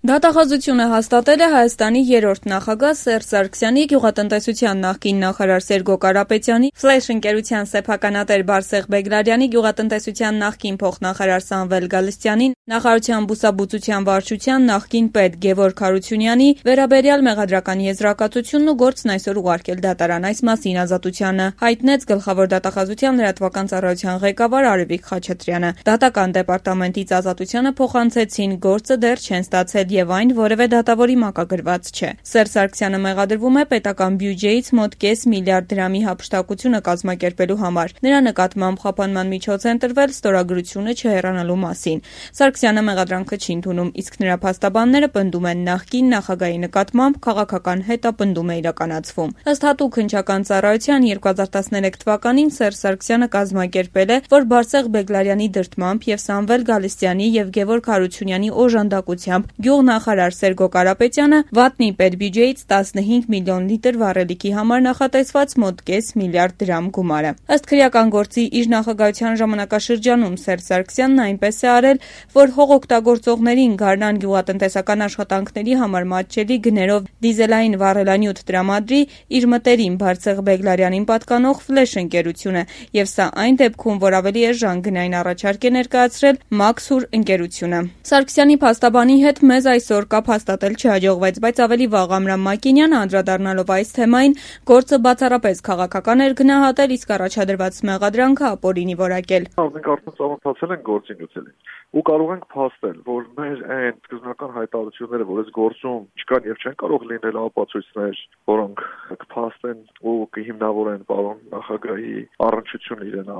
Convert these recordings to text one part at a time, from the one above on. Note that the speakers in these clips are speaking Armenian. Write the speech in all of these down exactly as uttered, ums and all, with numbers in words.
Դատախազությունը հաստատել է Հայաստանի երրորդ նախագահ Սերժ Սարգսյանի, գյուղատնտեսության նախկին նախարար Սերգո Կարապետյանի, Ֆլեշ ընկերության սեփականատեր Բարսեղ Բեգլարյանի, գյուղատնտեսության նախկին փոխնախարար Սամվել Գալստյանին, նախարարության բուսաբուծության վարչության նախկին պետ Գևորգ Հարությունյանի վերաբերյալ մեղադրական եզրակացությունն ու գործն այսօր ուղարկել դատարան։ Այս մասին Ազատությանը հայտնեց գլխավոր դատախազության լրատվական ծառայության ղեկավար Արևիկ Խաչատրյանը։ Դատական դեպարտամենտից Ազատությանը փոխանցեցին գործը դեռ չեն ստացել եւ այն որևէ դատավորի մակագրված չէ։ Սերժ Սարգսյանը մեղադրվում է պետական բյուջեից մոտ կես միլիարդ դրամի հափշտակությունը կազմակերպելու համար։ Նրա նկատմամբ խափանման միջոց է ընտրվել ստորագրությունը չհեռանալու մասին։ Սարգսյանը մեղադրանքը չի ընդունում, իսկ նրա փաստաբանները պնդում են նախկին նախագահի նկատմամբ քաղաքական հետապնդում է իրականացվում։ Ըստ հատուկ հնչական ծառայության երկու հազար տասներեք թվականին Սերժ Սարգսյանը կազմակերպել է, որ Բարսեղ Բեգլարյանի դրդմամբ եւ Սամվել Գալստյանի եւ Գևորգ Հարությունյանի օժանդակությամբ գյուղնախարար Սերգո Կարապետյանը վատնի պետբյուջեից տասնհինգ միլիոն լիտր վառելիքի համար նախատեսված մոտ կես միլիարդ դրամ գումարը։ Ըստ քրեական գործի իր նախագահության ժամանակաշրջանում Սերժ Սարգսյանն այնպես է արել, որ հողօգտագործողներին գարնան գյուղատնտեսական աշխատանքների համար մատչելի գներով դիզելային վառելանյութ տրամադրի իր մտերիմ Բարսեղ Բեգլարյանին պատկանող Ֆլեշ ընկերությունը, եւ սա այն դեպքում, որ ավելի էժան գնային առաջարկ է ներկայացրել Մաքսուր ընկերությունը։ Սարգսյանի փաստաբանի հետ մեզ այսօր կապ հաստատել չհաջողվեց, բայց ավելի վաղ Ամրամ Մակինյանը անդրադառնալով այս թեմային գործը բացառապես քաղաքական էր գնահատել, իսկ առաջադրված մեղադրանքը ապօրինի որակել։ Մենք արդեն ծանոթացել ենք գործին գուցելին ու կարող ենք փաստել, որ մեր այն սկզբնական հայտարարությունները, որ այս գործում չկան եւ չեն կարող լինել ապացույցներ, որոնք կփաստեն ու կհիմնավորեն պարոն նախագահի առնչությունը իրեն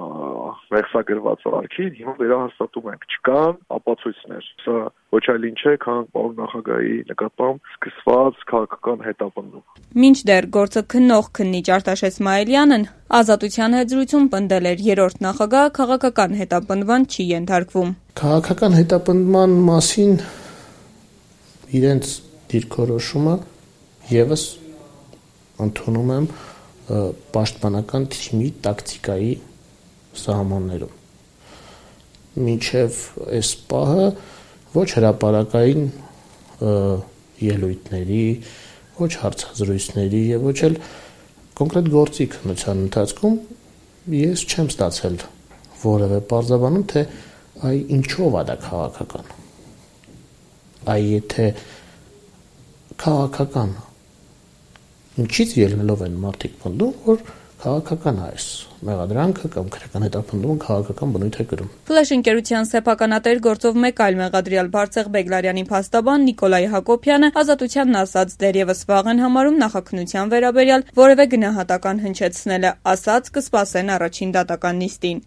մեղսագրված արարքին, հիմա վերահաստատում ենք, չկան ապացույցներ։ Սա ոչ այլ ինչ է, քան պարոն նախագահի նկատմամբ սկսված քաղաքական հետապնդում։ Մինչդեռ գործը քննող քննիչ Արտաշես Մայիլյանն Ազատության հետ զրույցում պնդել էր, երրորդ նախագահը քաղաքական հետապնդման չի ենթարկվում։ Քաղաքական հետապնդման մասին իրենց դիրքորոշումը եւս ընդունում եմ պաշտպանական թիմի տակտիկայի սահմաններում։ Մինչև այս պահը ոչ հրապարակային ելույթների, ոչ հարցազրույցների եւ ոչ էլ կոնկրետ գործի քննության ընթացքում ես չեմ ստացել որևէ պարզաբանում, թե այ ինչով է դա քաղաքական։ Այ եթե քաղաքական, ինչից ելնելով են մարդիկ պնդում, որ քաղաքական է այս մեղադրանքը կամ քրեական հետապնդումը քաղաքական բնույթ է կրում։ Ֆլեշ ընկերության սեփականատեր գործով մեկ այլ մեղադրյալ Բարսեղ Բեգլարյանի փաստաբան Նիկոլայ Հակոբյանը Ազատությանն ասաց դեռևս վաղ են համարում նախաքննության վերաբերյալ որևէ գնահատական հնչեցնելը, ասաց կսպասեն առաջին դատական նիստին։